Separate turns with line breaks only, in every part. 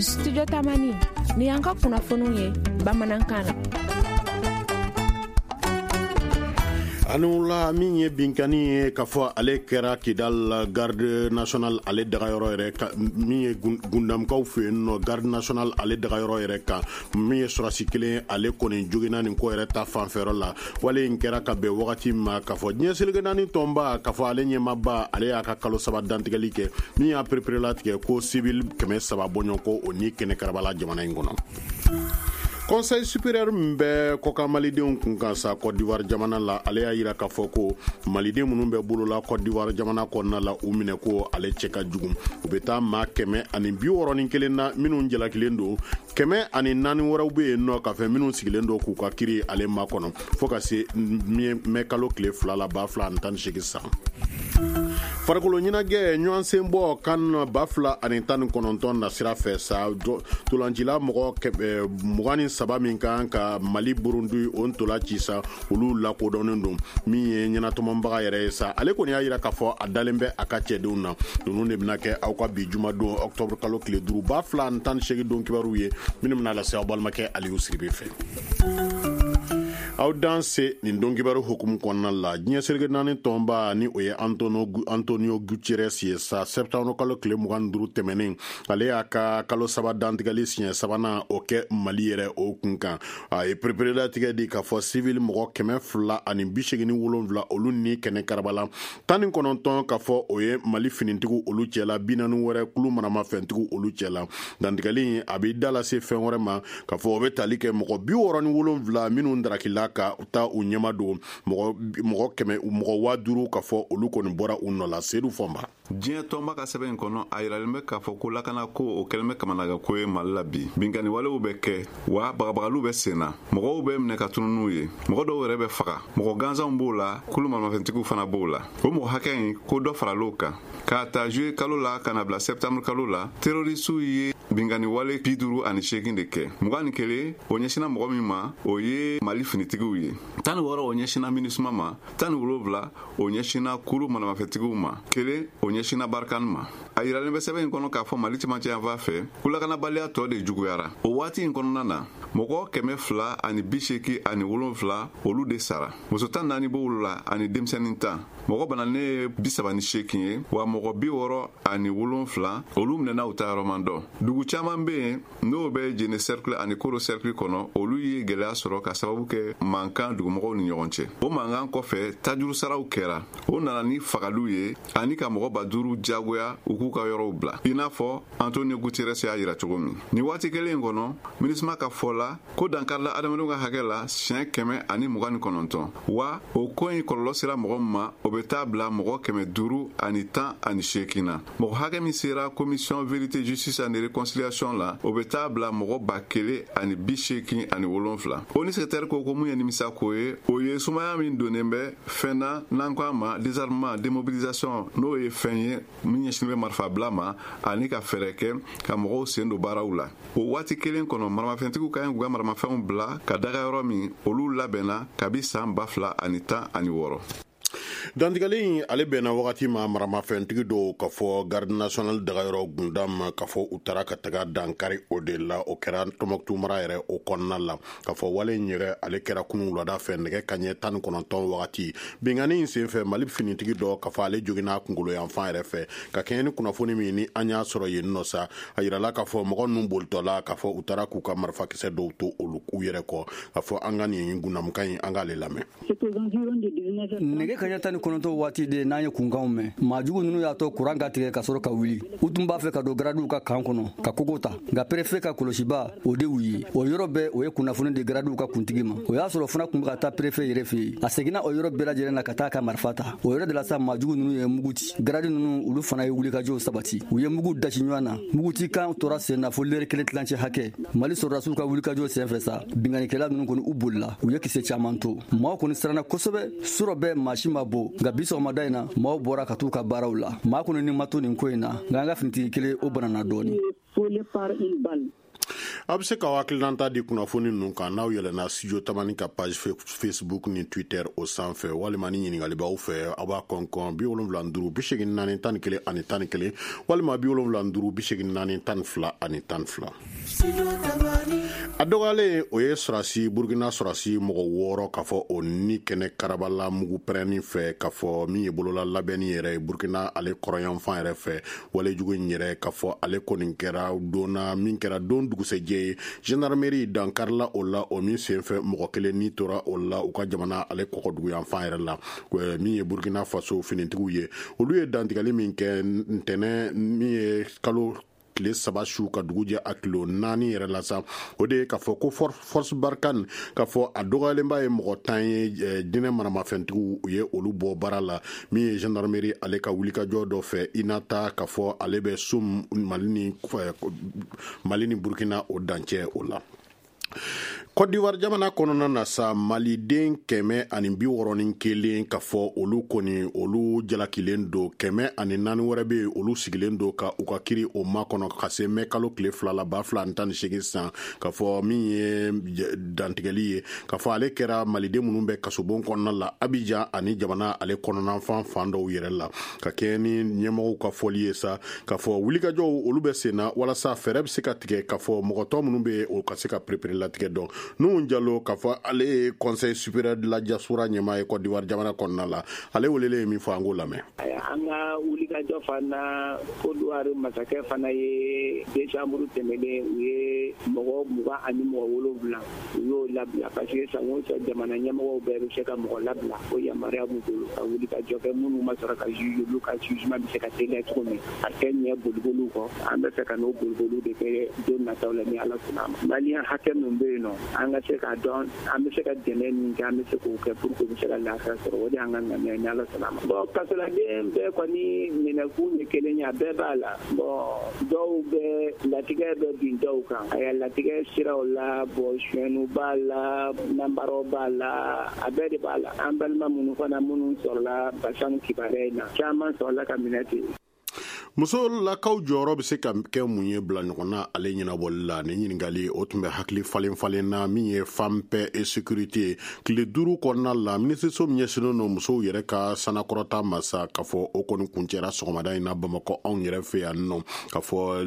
Studio Tamani ni y'an ka kunnafoniw ye bamanankan na.
A ni wula. Min ye binkanni ye k'a fɔ ale kɛra Kidal garde nationale ale dagayɔrɔ yɛrɛ kan, min ye Gundamkaw fɛ yen nɔ, garde nationale ale dagayɔrɔ yɛrɛ kan, min ye sɔrɔsi kelen ale kɔni joginna nin ko yɛrɛ ta fanfɛyɔrɔ la. Wale in kɛra ka bɛn wagati ma k'a fɔ diɲɛ seleke naani tɔnba k'a fɔ ale ɲɛmaaba ale y'a ka kalo 3 dantigɛli kɛ, min y'a pereperelatigɛ ko civil 300 bɔɲɔgɔnko o ni kɛnɛ karabala jamana in kɔnɔ. Conseil supérieur min bɛ kɔkan malidenw kun kan sa Côte d'Ivoire jamana la, ale y'a yira k'a fɔ ko maliden minnu bɛ bolola Côte d'Ivoire jamana kɔnɔna la, u minɛ ko ale cɛ ka jugu. U bɛ taa maa 161 na minnu jalakilen don, 104 wɛrɛw bɛ yen nɔ k'a fɛ minnu sigilen don k'u ka kiri ale makɔnɔ fo ka se mɛ kalo tile 2 la 2018 san. Farikolo ɲɛnajɛ ɲɔgɔn senbɔ CAN 2019 nasira fɛ sa, ntolancila mɔgɔ 23 min kan ka Mali Burundi o ntola ci sa, olu lakodɔnnen don. Min ye ɲɛnatɔmɔbaga yɛrɛ ye sa, ale kɔni y'a yira k'a fɔ a dalen bɛ a ka cɛdenw na. Ninnu de bɛna kɛ aw ka bi jumadon octobre kalo tile 5 2018 don kibaruw ye, minnu bɛna lase aw balimakɛ Aliyu Siribe fɛ. Aw dan se nin don kibaru hukumu kɔnɔna la, diɲɛ seleke naani tɔnba ni o ye Antonio Guterres ye sa, septembre kalo tile 25 tɛmɛnen, ale y'a ka kalo 3 dantigɛli siɲɛ sabanan o kɛ Mali yɛrɛ o kun kan. A ye pereperelatigɛ di k'a fɔ civil mɔgɔ 287 olu ni kɛnɛ karabala, 19 k'a fɔ o ye Mali finitigiw olu cɛla, 40 wɛrɛ kulu maramafɛntigiw olu cɛla. Dantigɛli a b'i da lase fɛn wɛrɛ ma k'a fɔ o bɛ tali kɛ mɔgɔ 67 minnu darakila ka taa u ɲɛma don, mɔgɔ kɛmɛ mɔgɔ 5000 k'a fɔ olu kɔni bɔra u nɔ la. Sedu Fɔnba.
Diɲɛ tɔnba ka sɛbɛn in kɔnɔ, a yiralen bɛ k'a fɔ ko lakanako o kɛlen bɛ kamanagan ye Mali la bi. Binkanni walew bɛ kɛ wa bagabagaliw bɛ sen na, mɔgɔw bɛ minɛ ka tunu n'u ye, mɔgɔ dɔw yɛrɛ bɛ faga, mɔgɔ gansanw b'o la, kulu maramafɛntigiw fana b'o la. O mɔgɔ hakɛ in ko dɔ faral'o kan. K'a ta juillet kalo la ka na bila septembre kalo la, terroristew ye binkanni wale 58 de kɛ. 21 o ɲɛsinna mɔgɔ min ma, o ye Mali finitigiw ye, 16 o ɲɛsinna MINUSMA ma, 17 o ɲɛsinna kulu maramafɛntigiw ma, 1 o ɲɛsinna Barkhane ma. A yiralen bɛ sɛbɛn in kɔnɔ k'a fɔ Mali cɛmancɛ yanfan fɛ ko lakanabaliya tɔ de juguyara. O waati in kɔnɔna na, mɔgɔ 287 olu de sara, muso 14 b'olu la ani denmisɛnnin 10. Mɔgɔ bananen ye 38 ye, wa mɔgɔ 67 olu minɛna, u ta yɔrɔ man dɔn. Dugu caman bɛ yen n'o bɛ Jene cercle ani Koro cercle kɔnɔ, olu ye gɛlɛya sɔrɔ ka sababu kɛ mankan dugumɔgɔw ni ɲɔgɔn cɛ. O mankan kɔfɛ, tajuru saraw kɛra, o nana ni fagaliw ye ani ka mɔgɔ 5000 jagoya u k'u ka yɔrɔw bila, i n'a fɔ Antonio Guterres y'a yira cogo min. Nin waati kelen in kɔnɔ, MINUSMA ka fɔ la ko dankarila adamadenw ka hakɛ la siɲɛ 129, wa o ko in kɔlɔlɔ sera mɔgɔ min ma, o bɛ taa bila mɔgɔ 518 na. Mɔgɔ hakɛ min sera commission vérité, justice and réconciliation la, o bɛ taa bila mɔgɔ 1087. ONU secrétaire ko mun ye nimisa ko ye, o ye sumaya min donnen bɛ fɛn na n'an ko a ma désarmement, démobilisation, n'o ye fɛn ye min ɲɛsinnen bɛ marifabila ma ani ka fɛɛrɛ kɛ ka mɔgɔw sen don baaraw la. O waati kelen kɔnɔ, maramafɛntigiw ka ɲi k'u ka maramafɛnw bila ka daga yɔrɔ min, olu labɛnna kabi san 2016.
Dantigɛli in ale bɛnna wagati ma maramafɛntigi dɔw ka fɔ garde nationale dagayɔrɔ Gundam ka fɔ u taara ka taga dankari o de la. O kɛra Tɔnbɔkutu mara yɛrɛ o kɔnɔna la. Ka fɔ wale in yɛrɛ ale kɛra kunun wulada fɛ nɛgɛ kaɲɛ 19 wagati. Binkanni in senfɛ, Mali finitigi dɔ ka fɔ ale joginna kunkolo yanfan yɛrɛ fɛ. Ka kɛɲɛ ni kunnafoni min ni an y'a sɔrɔ yen nɔ sa, a yirala k'a fɔ mɔgɔ ninnu bolitɔla k'a fɔ u taara k'u ka marifakisɛ dɔw to olu u yɛrɛ kɔ. K'a fɔ an ka nin Gundamukan in, an k'ale lamɛn.
Nɛgɛ kaɲɛ 19 waati de n'an ye kunkanw mɛn, maajugu ninnu y'a to kuran ka tigɛ ka sɔrɔ ka wuli. U tun b'a fɛ ka don garadiw ka kan kɔnɔ ka kogo ta, nka préfet ka kɔlɔsiba o de y'u ye. O yɔrɔ bɛɛ, o ye kunnafoni di garadiw ka kuntigi ma. O y'a sɔrɔ fana tun bɛ ka taa préfet yɛrɛ fɛ yen. A seginna o yɔrɔ bɛɛ lajɛlen na ka taa ka marifa ta. O yɔrɔ de la sa, maajugu ninnu ye mugu ci. Garadi ninnu, olu fana ye wulikajɔw sabati, u ye mugu dasi ɲɔgɔn na. Muguci kan tora sen na fo lɛrɛ kelen tilancɛ hakɛ. Mali sɔrɔdasiw ka wulikajɔ senfɛ sa, binkannikɛla ninnu kɔni u bolila, u ye kisɛ caman to. Maaw kɔni siranna kosɛbɛ. Surɔ bɛɛ maa si ma bɔ, nka bi sɔgɔmada in na, maaw bɔra ka t'u ka baaraw la. Maa kɔni ni ma to nin ko in na, nka an ka finitigi kelen o banana dɔɔni.
A bɛ se ka hakilinata di kunnafoni ninnu kan n'aw yɛlɛnna Studio Tamani ka page Facebook ni Twitter o sanfɛ, walima ni ɲininkali b'aw fɛ, aw b'a kɔnkɔn 75 84 11 11, walima 75 84 12 12. A dɔgɔyalen, o ye sɔrɔdasi, Burukina sɔrɔdasi mɔgɔ 6, k'a fɔ o ni kɛnɛ karabala mugu pɛrɛnni fɛ, k'a fɔ min ye bolola labɛnni yɛrɛ ye Burukina ale kɔrɔyanfan yɛrɛ fɛ. Walejugu in yɛrɛ, k'a fɔ ale kɔni kɛra donna min kɛra don dugusɛjɛ ye, gendarmerie dankarila o la, o min senfɛ mɔgɔ kelen ni tora o la u ka jamana ale kɔkɔduguyanfan yɛrɛ la. Min ye Burukina Faso finitigiw ye, olu ye dantigɛli min kɛ ntɛnɛn min ye kalo tile 3 su ka dugu jɛ a kilo 4 yɛrɛ la sa, o de ye k'a fɔ ko Force Barkhane, k'a fɔ a dɔgɔyalenba ye mɔgɔ 10 ye, jinɛ maramafɛntigiw, u ye olu bɔ baara la, min ye gendarmerie ale ka wulikajɔ dɔ fɛ Inata, k'a fɔ ale bɛ Soum, Mali ni Burkina o dancɛ o la. Côte d'Ivoire jamana kɔnɔna na sa, maliden 161, ka fɔ olu kɔni olu jalakilen don, 104 wɛrɛ bɛ yen, olu sigilen don ka u ka kiri o makɔnɔ ka se mɛ kalo tile 2 la 2018 san, ka fɔ min ye dantigɛli ye, ka fɔ ale kɛra maliden minnu bɛ kasobon kɔnɔna la Abidjan ani jamana ale kɔnɔnafan fan dɔw yɛrɛ la. Ka kɛɲɛ ni ɲɛmɔgɔw ka fɔli ye sa, ka fɔ wulikajɔw olu bɛ sen na walasa fɛɛrɛ bɛ se ka tigɛ, ka fɔ mɔgɔ tɔ minnu bɛ yen, o ka se ka perepere latigɛ dɔn. Nuhu Jalo, ka fɔ ale ye Conseil supérieur de la diaspora ɲɛmaa ye Côte d'Ivoire jamana kɔnɔna la, ale welelen ye min fɔ, an k'o lamɛn.
An ka wulikajɔ fana, Côte d'Ivoire masakɛ fana ye décembre tɛmɛnen, u ye mɔgɔ 27, u y'o labila, parce que san o san jamana ɲɛmɔgɔw bɛɛ bɛ se ka mɔgɔ labila, o yamaruya b'u bolo ka wulikajɔ kɛ minnu ma sɔrɔ ka juge, olu ka jugement bɛ se ka teliya cogo min, a tɛ ɲɛ boliboliw kɔ. An bɛ fɛ ka n'o boliboliw de kɛ don nataw la, ni Ala sɔnna a ma. Maliyɛn hakɛ min bɛ yen nɔ, an ka se k'a dɔn an bɛ se ka dɛmɛ min kɛ, an bɛ se k'o kɛ pour que u bɛ se ka lafiya sɔrɔ. O de y'an ka ŋaniya ye, ni Ala sɔnna a ma. Bon, kasoladen bɛɛ kɔni minɛkun ye kelen ye, a bɛɛ b'a la. Bon, dɔw bɛ latigɛ bɛ bin dɔw kan, a latigɛ siraw la. Bon, suyɛnniw b'a la, nanbaraw b'a la, a bɛɛ de b'a la. An balima minnu fana, minnu sɔrɔla Bassam kibaruya in na, caman sɔrɔla ka minɛ ten.
Musolakaw jɔyɔrɔ bɛ se ka kɛ mun ye bila ɲɔgɔn na ale ɲɛnabɔli la? Ni ɲininkali o tun bɛ hakili falen falen na. Min ye Femme, paix et sécurité tile 5 kɔnɔna la, minisiriso min ɲɛsinnen don musow yɛrɛ ka sanakɔrɔta ma sa, k'a fɔ o kɔni kuncɛra sɔgɔmada in na Bamakɔ, anw yɛrɛ fɛ yan nɔ. K'a fɔ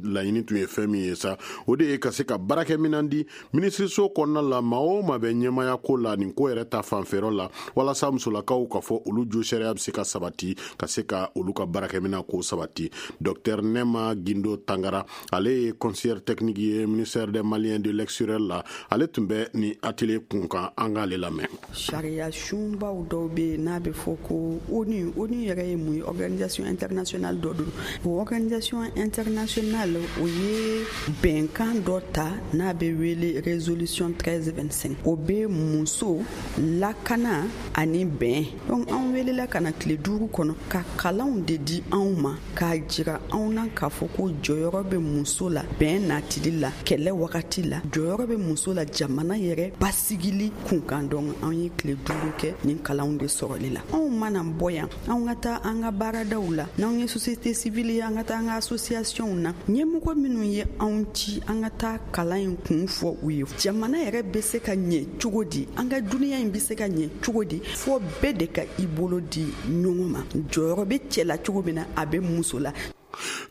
laɲini tun ye fɛn min ye sa, o de ye ka se ka baarakɛminɛn di minisiriso kɔnɔna la, maa o maa bɛ ɲɛmaya ko la nin ko yɛrɛ ta fanfɛyɔrɔ la, walasa musolakaw, ka fɔ olu jo sariya bɛ se ka sabati, ka se ka olu ka baarakɛminɛn ko sabati. Docteur Nema Gindo Tangara, ale ye conseillère technique ye ministère des Maliens de l'extérieur la, ale tun bɛ ni atelier kun kan. An k'ale lamɛn.
Sariya sunbaw dɔw bɛ yen n'a bɛ fɔ ko ONU. ONU yɛrɛ ye mun ye? Organisation internationale dɔ don. O organisation internationale, o ye bɛnkan dɔ ta n'a bɛ wele résolution 1325. O bɛ muso lakana ani bɛn. Donc an welela ka na tile 5 kɔnɔ ka kalanw de di anw ma, k'a jira anw na k'a fɔ ko jɔyɔrɔ bɛ muso la bɛn natili la, kɛlɛ wagati la, jɔyɔrɔ bɛ muso la jamana yɛrɛ basigili kunkan. Donc an ye tile 5 kɛ nin kalanw de sɔrɔli la. Anw mana bɔ yan, anw ka taa an ka baaradaw la, n'anw ye société civile ye, an ka taa an ka associationw na, ɲɛmɔgɔ minnu ye anw ci an ka taa kalan in kun fɔ u ye, jamana yɛrɛ bɛ se ka ɲɛ cogo di, an ka duniya in bɛ se ka ɲɛ cogo di, fɔ bɛɛ de ka i bolo di ɲɔgɔn ma. Jɔyɔrɔ bɛ cɛ la cogo min na, a bɛ muso la.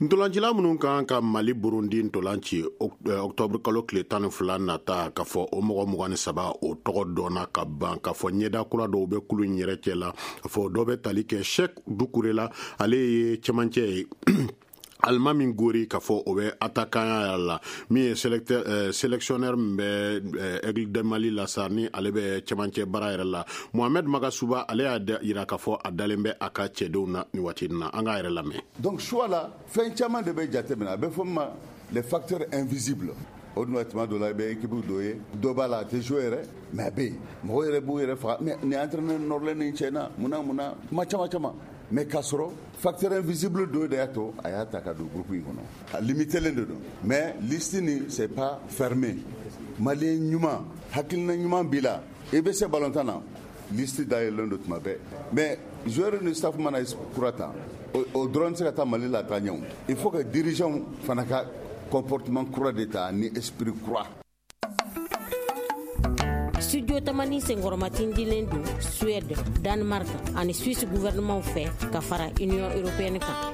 Ntolancila minnu kan ka Mali Burundi ntolan ci octobre kalo tile 12 nata, ka fɔ o mɔgɔ 23, o tɔgɔ dɔnna ka ban. Ka fɔ ɲɛda kura dɔw bɛ kulu in yɛrɛ cɛ la, ka fɔ dɔ bɛ tali kɛ Cheick Doucouré la, ale ye cɛmancɛ ye, Alimami Gori, ka fɔ o bɛ attaquant la. Min ye sélectionneur min bɛ Aigle de Mali la sa, ni ale bɛ cɛmancɛ baara yɛrɛ la, Mohamed Magasuba, ale y'a yira k'a fɔ a dalen bɛ a ka cɛdenw na nin waati in na. An k'a yɛrɛ lamɛn.
Donc choix la, fɛn caman de bɛ jateminɛ, a bɛ fɔ min ma les facteurs invisibles. O dun tuma dɔ la, i bɛ équipe dɔ ye, dɔ b'a la, a tɛ jouer yɛrɛ, mais a bɛ yen, mɔgɔw yɛrɛ b'u yɛrɛ faga. Mais nin entraîneur nɔrɔlen nin cɛ na, munna munna, kuma caman caman, mais k'a sɔrɔ facteur invisible dɔ de y'a to a y'a ta ka don groupe in kɔnɔ. A limité len de don, mais liste nin, c'est pas fermé. Malien ɲuman, hakilina ɲuman b'i la, i bɛ se balontan na, liste dayɛlɛlen don tuma bɛɛ. Mais joueur ni staff mana kura ta, o dɔrɔn tɛ se ka taa Mali la taa ɲɛ. O il faut que dirigeant fana ka
Comportement kura de ta ni esprit kura.
Studio Tamani senkɔrɔmatindilen don Suède, Danemark ani Suisse gouvernement fɛ ka fara Union européenne kan.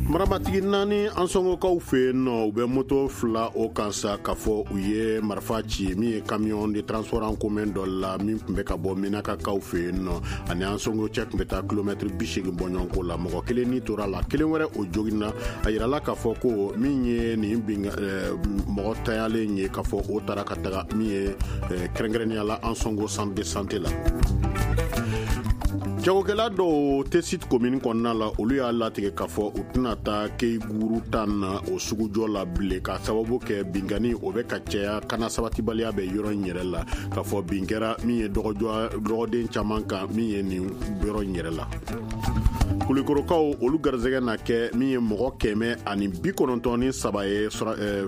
Marabatigi naani Ansɔngɔkaw fɛ yen nɔ, u bɛ moto fila o kan sa k'a fɔ u ye marifa ci min ye camion de transport en commun dɔ la min tun bɛ ka bɔ Menakakaw fɛ yen nɔ, ani Ansɔngɔ cɛ tun bɛ taa kilomɛtiri 80 bɔɲɔgɔnko la. Mɔgɔ kelen ni tora la, kelen wɛrɛ o joginna. A yirala k'a fɔ ko min ye nin bin mɔgɔ tayalen ye, k'a fɔ o taara ka taga min ye kɛrɛnkɛrɛnnenya la Ansɔngɔ centre de santé la. Jagokɛla dɔw Tessit commune kɔnɔna la, olu y'a latigɛ k'a fɔ u tɛna taa Keyiguru tan na o sugujɔ la bilen, k'a sababu kɛ binkanni o bɛ ka caya, kana sabatibaliya bɛ yɔrɔ in yɛrɛ la, k'a fɔ bin kɛra min ye dɔgɔden caman kan min ye nin yɔrɔ in yɛrɛ la. Kulikorokaw olu garisɛgɛ na kɛ min ye mɔgɔ 193 ye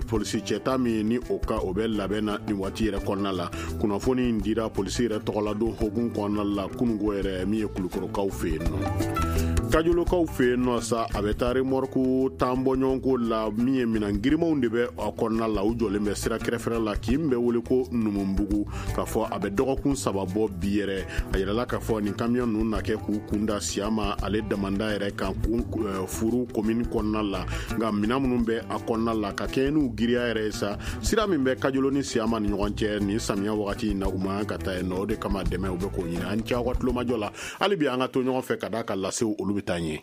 polisi cɛta min ni o ka o bɛ labɛn na nin waati yɛrɛ kɔnɔna la. Kunnafoni in dira polisi yɛrɛ tɔgɔladon hokumu kɔnɔna la kununko yɛrɛ min ye Kulukorokaw fɛ yen nɔ. Kajolokaw fɛ yen nɔ sa, a bɛ taa remorque tan bɔɲɔgɔnko la min ye minɛn girimanw de bɛ a kɔnɔna la, u jɔlen bɛ sira kɛrɛfɛla la k'i bɛ wele ko Numubugu, k'a fɔ a bɛ dɔgɔkun 3 bɔ bi yɛrɛ. A yirala k'a fɔ nin camion ninnu na kɛ k'u kunda Siyama ale damanda yɛrɛ kan furu commune kɔnɔna la, nka minɛn minnu bɛ a kɔnɔna la ka kɛɲɛ n'u giriya yɛrɛ ye sa, sira min bɛ Kajolo ni Siyama ni ɲɔgɔn cɛ nin samiya wagati in na, u man kan ka taa yen nɔ. O de kama dɛmɛ u bɛ k'o ɲini. An cɛ aw ka tulomajɔ la, hali bi an ka to ɲɔgɔn fɛ ka d'a ka lasew olu bɛ taa ɲɛ.